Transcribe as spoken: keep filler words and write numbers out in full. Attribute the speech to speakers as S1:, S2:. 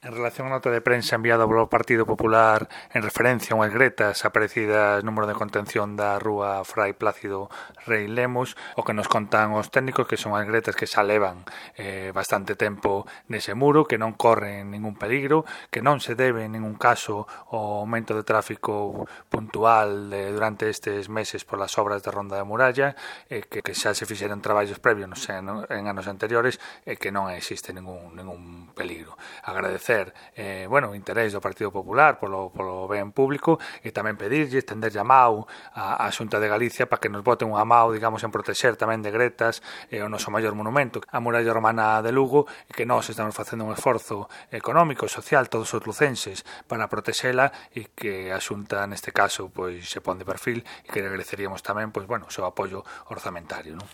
S1: En relación á nota de prensa enviada polo Partido Popular en referencia a unhas gretas aparecidas no muro de contención da rúa Frai Plácido Rei Lemos, o que nos contan os técnicos que son as gretas que xa levan eh, bastante tempo nese muro, que non corren ningún peligro, que non se debe en ningún caso ao aumento de tráfico puntual de, durante estes meses polas obras de Ronda da Muralla, eh, que, que xa se fixeron traballos previos no, en, en anos anteriores e que non existe ningún, ningún peligro. Agradecer Eh, bueno, o interés do Partido Popular polo, polo ben público e tamén pedirlle, estender llamado á, á Xunta de Galicia para que nos boten un amao, digamos, en protexer tamén de gretas eh, o noso maior monumento, a muralla romana de Lugo, e que nós estamos facendo un esforzo económico e social, todos os lucenses, para protexela, e que a Xunta neste caso pois se pon de perfil, e que agradeceríamos tamén pois, bueno, o seu apoio orzamentario, non?